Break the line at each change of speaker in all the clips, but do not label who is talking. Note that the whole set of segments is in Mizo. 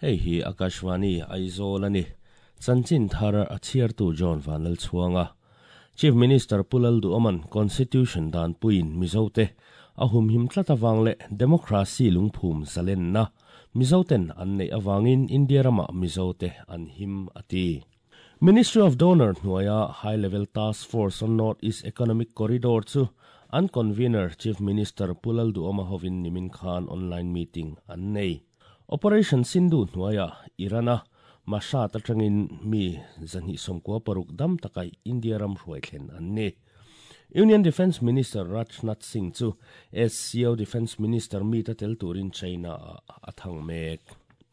Hei hi Akashvani Aizawl a ni. Chanchin thar a chhiartu John Vanlalchhuanga. Chief Minister Pu Lalduhawma'n Constitution danpuiin Mizote a humhim tlat avang leh Democracy lungphum zalenna Mizoten an neih avangin India ramah Mizote an him a ti. Ministry of Donor hnuaia High Level Task Force on North East Economic Corridor chu an Convener Chief Minister Pu Lalduhawma hovin nimin khan online meeting an nei. Operation Sindhu hnuaia Iran-a Mashhad atangin mi 296 dam taka India ram hruai thlen an ni. Union Defence Minister Rajnath Singh chu SCO Defence Minister meet a tel turin China-ah a thang mek.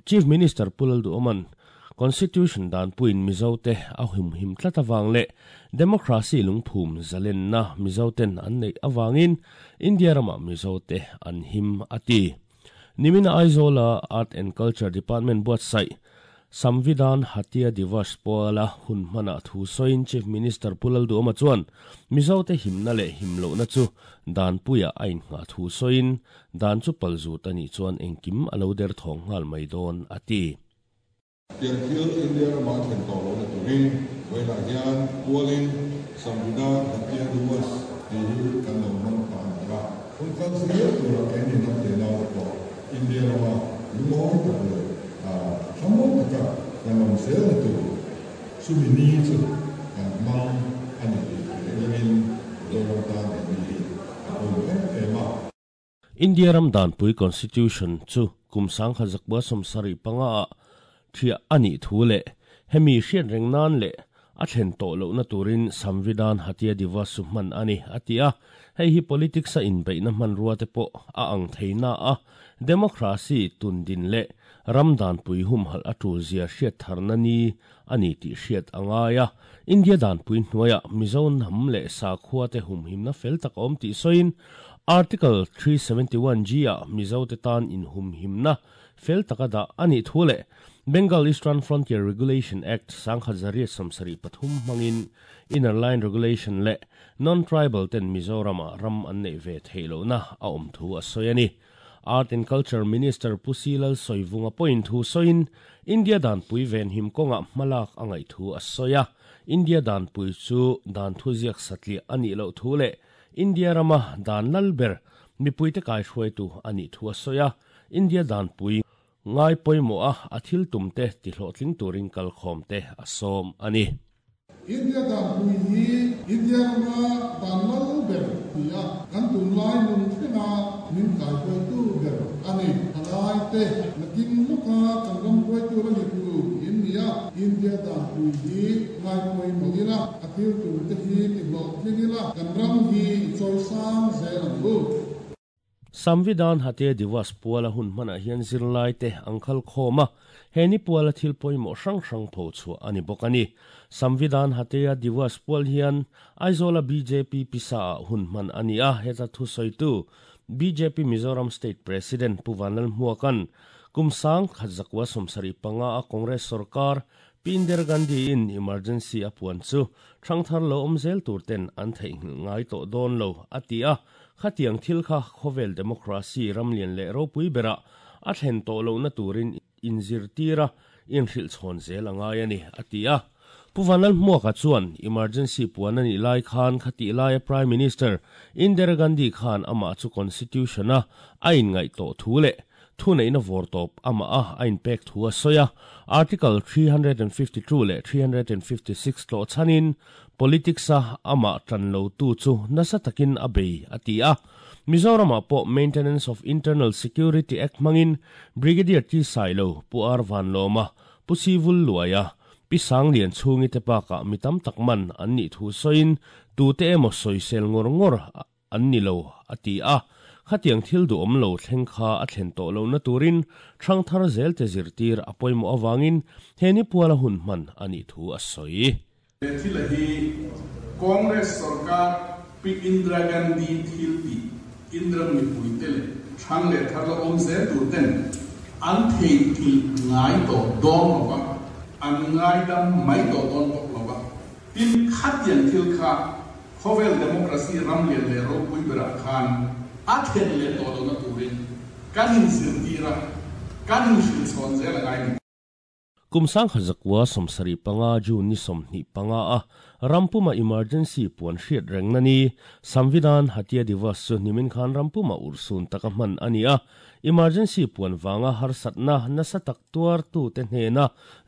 Chief Minister Pu Lalduhawma'n Constitution danpuiin Mizote a humhim tlat avang leh Democracy lungphum zalenna Mizoten an neih avangin India ramah Mizote an him a ti. Nimina Aizawla Art and Culture Department buatsaih Samvidhan Hatya Divas puala hun hmanah thu sawiin Chief Minister Pu Lalduhawma chuan Mizote himna leh himlohna chu danpuiah a innghah thu sawiin Dan chu pal zut a nih chuan engkim a lo der thawng nghal mai dawn, a ti.
Tiang thil India rama a thlen tawh lohna turin vawiinah hian pualin Samvidhan Hatya Diwas tih hi kan lo hmang ta a ni a. Hun kal zel tura keini hnam te naute pawh India rama lungawi tak leh thlamuang taka kan awm zelna tur chumi ni chu kan hmang a ni tih hre ilangin Mizoram tan he ni hi a pawimawh em em a.
India ram danpui Constitution chu kum 1975 ah thiah a nih thu leh hemi hriat reng nan leh a thlen tawh lohna turin Samvidhan Hatya Divas chu hman a ni, a ti a. Hei hi politics a inbeihna hmanrua te pawh a ang thei na a, democracy tundin leh ram danpui humhalh a tul zia hriat tharna ni a ni tih hriat a ngai a. India danpui hnuaiah Mizo hnam leh sakhua te humhimna fel tak a awm tih sawiin Article 371G ah Mizo te tan inhumhimna fel taka dah a nih thu leh Bengal Eastern Frontier Regulation Act 1873 hmangin Inner Line Regulation leh Non-Tribal ten Mizoram-ah ram an neih ve theih lohna a awm thu a sawi a ni. Art and Culture Minister Pu Si Lalsawivunga pawhin thu sawiin India danpui venhim kawngah hmalak a ngaih thu a sawi a, India danpui chu dan thuziak satliah a nih loh thu leh India rama dan lal ber mipuite kaihruaitu a nih thu a sawi a. India danpui ngai pawimawh a, a thil tumte tihlawhtling turin kalkhawmte a sawm a ni.
India danpui hi India rama dan lal ber a ni a, kan tunlai nun thlenga min kaihruaitu ber a ni. Thalaite nakin lawka kan ram hruaitu la ni tur in ni a, India danpui hi ngai pawimawh ila, a thil tumte hi tihlawhtling ila, kan ram hi i chawisang zel ang u.
Samvidhan Hatya Divas puala hun hmanah hian zirlaite an khal khawm a, he ni puala thil pawimawh hrang hrang pho chhuah a ni bawk a ni. Samvidhan Hatya Divas pual hian Aizawla bjp pisa ah hun hman a ni a, heta thusawitu bjp Mizoram State President Pu Vanlalhmuaka'n kum 1975 a Congress sorkar Pi Indira Gandhi-in emergency a puan chu hrangthar lo awm zel tur ten an theihnghilh ngai tawh dawn lo, a ti a. Khatiang thil kha khawvel democracy ramlian leh ropui berah a thlen tawh lohna turin inzirtir a, inhrilh chhawn zel a ngai a ni, a ti a. Pu Vanlalhmuaka chuan emergency puan a nih lai khan khatih laia Prime Minister Indira Gandhi khan amah chu Constitution-a a inngaih tawh thu leh Thuneihna vawr tawp amah a a inpek thu a sawi a, Article 352 leh 356 tlawh chhanin politics-a amah tan lotu chu nasa takin a bei a ti a. Mizoramah pawh Maintenance of Internal Security Act hmangin Brigadier T Sailo, Pu R Vanlawma, Pu Sivul Luaia, Pi Sanglian chhungi te bakah mi tam tak man an nih thu sawiin tute emaw sawisel ngawr ngawr an ni lo, a ti a. Khatiang thil duhawm lo thleng kha a thlen tawh lohna turin hrangthar zelte zirtir a pawimawh avangin he ni puala hun hman a nih thu a sawi.
He thila hi Congress sorkar Pi Indira Gandhi thil tih Indira mipuite leh hrang leh thar la awm zel tur ten an theihnghilh ngai tawh dawn lo va, an ngaidam mai tawh dawn bawk lo va. Tin, khatiang thil kha Khawvel democracy ram lian leh ropui berah khan a thlen leh tawh lohna turin kan inzirtir a. kan inhrilh chhawn zel a ngai a ni.
Kum 1975 June ni 25 a rampuma emergency puan hriat rengna ni Samvidhan Hatya Divas chu nimin khan rampuma urhsun taka hman a ni a. Emergency puan vanga harsatna nasa tak tuartute hnena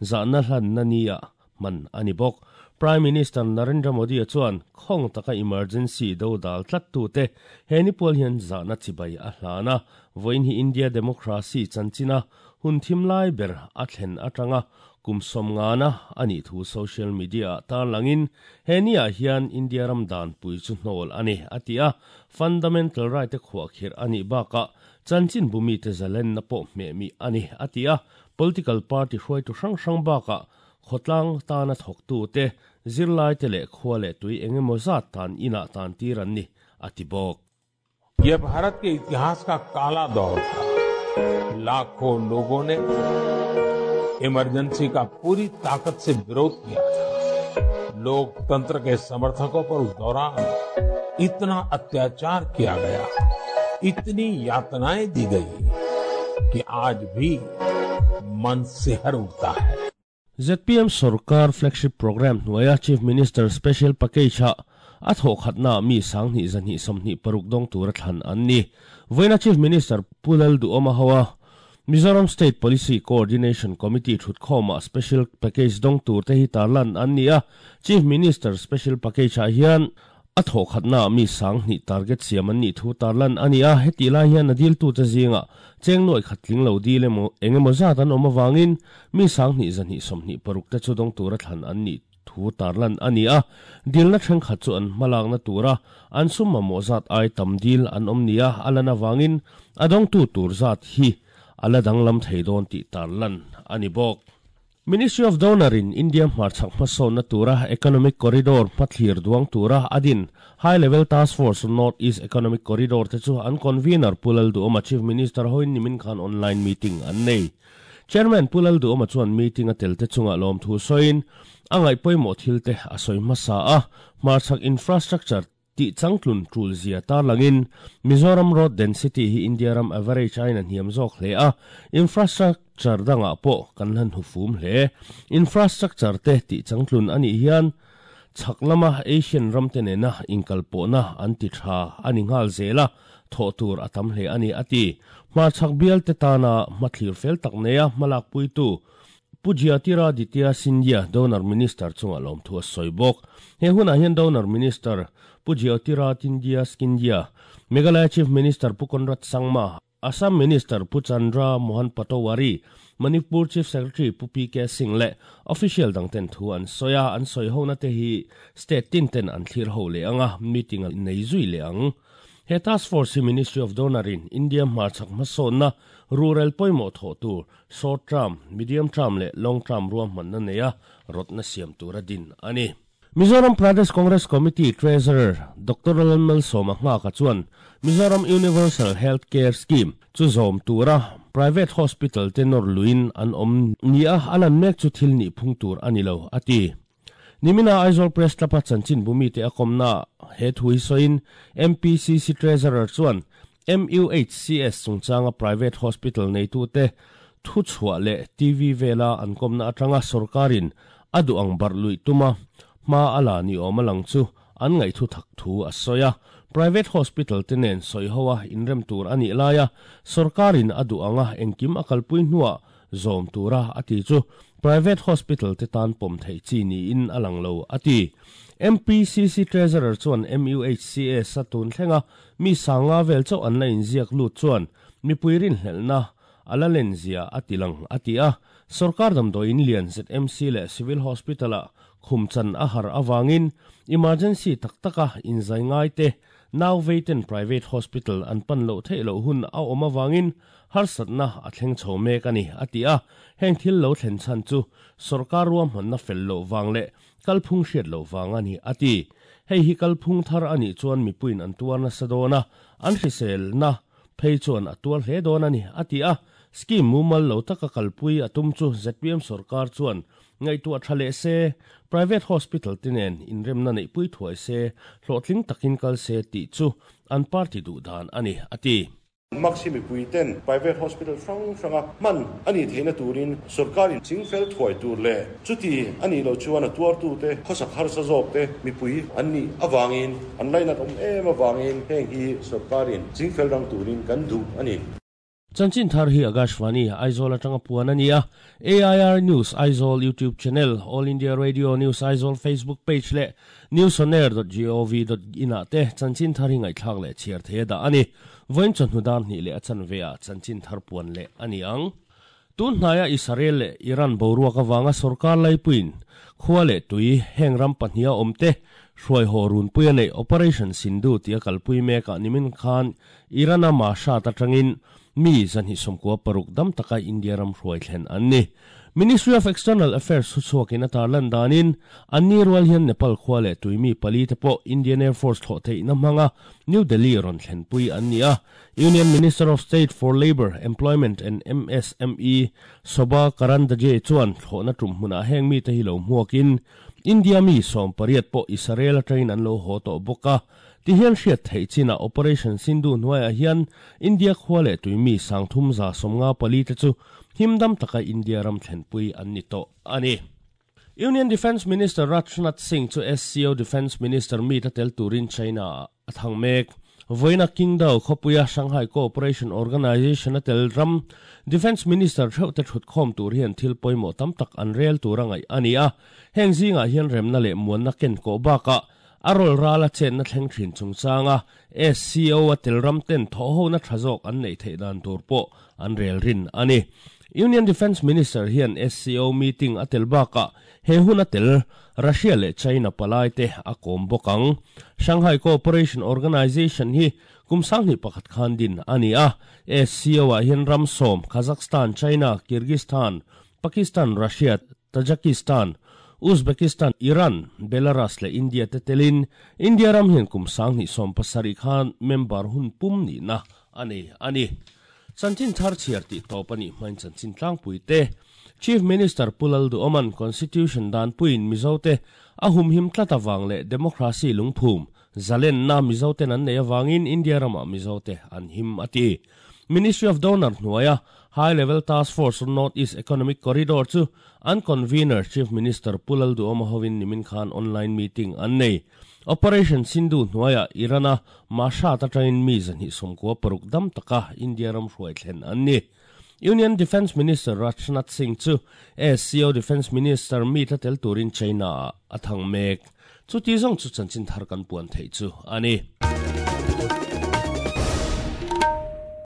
zahna hlanna nia hman a ni bawk. Prime Minister Narendra Modi-a chuan khawng taka emergency do dal tlattute he ni pual hian zahna chibai a hlan a. Vawiin hi India democracy chanchina hun thim lai ber a thlen atanga kum sawmngana a nih thu social media-ah tarlangin he niah hian India ram danpui chu hnawl a ni, a ti a. Fundamental right-te khuahkhirh a nih bakah chanchin bumite zalenna pawh hmehmih a ni, a ti a. Political party hruaitu hrang hrang bakah khawtlang tana thawktute, zirlaite leh khua leh tui engemaw zat tan inah tan tir an ni, a ti bawk.
यह भारत के इतिहास का काला दौर था। लाखों लोगों ने इमरजेंसी का पूरी ताकत से विरोध किया था। लोकतंत्र के समर्थकों पर उस दौरान इतना अत्याचार किया गया, इतनी यातनाएं दी गई कि आज भी मन सिहर उठता है।
ZPM sorkar flagship programme hnuaia Chief Minister Special Package-a a thawhkhatnaah mi 2226 dawng tura thlan an ni. Vawiina Chief Minister Pu Lalduhawma hoa Mizoram State Policy Coordination Committee thutkhawmah Special Package dawng turte hi tarlan an ni a. Chief Minister Special Package-ah hian a thawhkhatnaah mi 2000 target siam an nih thu tarlan a ni a. Hetih lai hian a diltute zingah cheng nuaih khat tling lo dil emaw eng emaw zat an awm avangin mi 2226 te chu dawng tura thlan an nih thu tarlan a ni a. Dilna thenkhat chu an hmalakna tura an sum mamawh zat ai tam dil an awm nia a lan avangin a dawngtu tur zat hi a la danglam thei dawn tih tarlan a ni bawk. Ministry of Donor in India hmarchhak hmasawnna tura Economic Corridor hmathlir duang tura a din High Level Task Force North East Economic Corridor te chu an Convener Pu Lalduhawma Chief Minister hoin nimin khan online meeting an nei. Chairman Pu Lalduhawma chuan meeting a tel te chungah lawmthu sawiin a ngaih pawimawh thil te a sawi hmasa a, hmarchhak infrastructure tih changtlun tul zia tarlangin Mizoram road density hi India ram average aiin a hniam zawk hle a, infrastructure dangah pawh kan hlan hufum hle. Infrastructure te tih changtlun a nih hian chhak lama Asian ramte nena inkalpawhna an ti tha a ni nghal zel a, thawh tur a tam hle a ni, a ti. Hmarchhak bialte tana hmathlir fel tak neia hmalakpuitu Pu Jyotiraditya Scindia, Donor Minister chungah lawmthu a sawi bawk. He hunah hian Donor Minister Pu Jyotiraditya Scindia, Meghalaya Chief Minister Pu Conrad Sangma, Assam Minister Pu Chandra Mohan Patowary, Manipur Chief Secretary Pu PK Singh leh official dangten thu an sawi a, an sawi hona te hi state tin ten an thlir ho leh ang a, meeting a nei zui leh ang. He task force hi Ministry of Donor in India hmarchhak hmasawnna rural pawimawh thawh tur Short term, medium term leh long term ruahmanna neia rawtna siam tura din a ni. Mizoram Pradesh Congress Committee Treasurer Doctor Lalmalsawma Nghaka chuan Mizoram Universal Health Care Scheme chu zawm tura private hospital te nawr luin an awm nia a lan mek chu thil nih phung tur a ni lo, a ti. Nimina Aizawl Press Club-a chanchinbu mite a kawmnaah he thu hi sawiin MPCC Treasurer chuan MUHCS chungchanga private hospital neitute thuchhuah leh TV vela an kawmna atanga sorkarin a duh ang barh luih tuma hma a la ni awm a lang chu an ngaihthu thak thu a sawi a. Private hospital te nen sawi ho a inrem tur a nih laia sorkarin a duh anga engkim a kalpui hnuah zawm tura a ti chu private hospital te tan pawm theih chi niin a lang lo, a ti. MPCC Treasurer chuan MUHCS a tun thlenga mi sanga vel chauh an la inziak lut chuan mipui rinhlelhna a la len zia a ti lang, a ti a. Sorkar damdawiin lian ZMC leh Civil Hospital-ah khum chan a har avangin emergency tak taka inzai ngai te nau veiten private hospital an pan loh theih loh hun a awm avangin harsatna a thleng chho mek a ni, a ti a. Heng thil lo thlen chhan chu sorkar ruahmanna fel loh vang leh kalphung hriat loh vang a ni, a ti. Hei hi kalphung thar a nih chuan mipuiin an tuar nasa dawn a, an hriselna phei chuan a tuar hle dawn a ni, a ti a. Scheme mumal lo taka kalpui a tum chu zpm sorkar chuan ngaihtuah tha leh se, private hospital te nen inremna neihpui thuai se, hlawhtling takin kal se tih chu an party duh dan a ni, a ti.
Mask hi mipui ten private hospital hrang hranga hman a nih theihna turin sorkarin chingfel thuai tur leh chuti a nih loh chuan a tuartute khawsak harsa zawkte mipui an nih avangin an lainat awm em avangin heng hi sorkarin chingfel rang turin kan duh a ni.
Chanchin thar hi Akashvani, Aizawl atanga puan a ni a, AIR News Aizawl YouTube channel, All India Radio News Aizawl Facebook page leh newsonair dot gov dot in ah te chanchin thar hi ngaihthlak leh chhiar thei a dah a ni. Vawiin chawhnu dar hnih leh a chanve ah chanchin thar puan leh a ni ang. Tun hnaia Israel leh Iran boruak avanga sorkar laipuiin khua leh tui heng ram pahniha awmte hruaihaw runpui a neih Operation Sindhu tia kalpui mekah nimin khan Iran-a Mashhad atangin mi 296 dam taka India ram hruai thlen an ni. Ministry of External Affairs thuchhuakin a tarlan danin, anni rual hian Nepal khua leh tuimi pali te pawh Indian Air Force thlawh theihna hmanga New Delhi rawn thlenpui an ni a. Union Minister of State for Labour, Employment and MSME Shobha Karandlaje chuan thlawhna tum hmunah heng mite hi lo hmuakin India mi 18 pawh Israel atangin an lo haw tawh bawk a. Ti hian hriat theih chinah Operation Sindhu hnuaiah hian India khua leh tuimi 3154 te chu himdam taka India ram thlenpui an ni tawh a ni. Union Defence Minister Rajnath Singh chu SCO Defence Minister meet a tel turin China-ah a thang mek. Vawiina Qingdao khawpuia Shanghai Cooperation Organization a tel ram Defence Minister theuhte thutkhawm tur hian thil pawimawh tam tak an rel tur a ngaih a ni a. Heng zingah hian remna leh muanna ken kawh bakah A rawl ral a chenna thleng thin chungchanga SCO a tel ram ten thawhhona tha zawk an neih theih dan tur pawh an rel rin a ni. Union Defence Minister hian SCO meeting a tel bakah he hun a tel Russia leh China palai te a kawm bawk ang. Shanghai Cooperation Organization hi kum 21 khan din a ni a. SCO ah hian ram sawm, Kazakhstan, China, Kyrgyzstan, Pakistan, Russia, Tajikistan, Uzbekistan, Iran, Belarus leh India te telin India ram hian kum 2017 khan member hun pum nihna a nei a ni. Chanchin thar chhiar tih tawp a nih hmain chanchin tlangpui te Chief Minister Pu Lalduhoman Constitution danpuiin Mizote a humhim tlat avang leh Democracy lungphum zalenna Mizoten an neih avangin India ramah Mizote an him a ti. Ministry of Donor hnuaia High Level Task Force on North East Economic Corridor chu an Convener Chief Minister Pu Lalduhoma hovin nimin khan online meeting an nei. Operation Sindhu hnuaiah Iran-a Mashhad atangin mi 296 dam taka India ram hruai thlen an ni. Union Defence Minister Rajnath Singh chu SCO Defence Minister meet a tel turin China-ah a thang mek. Chuti zawng chu chanchin thar kan puan theih chu a ni.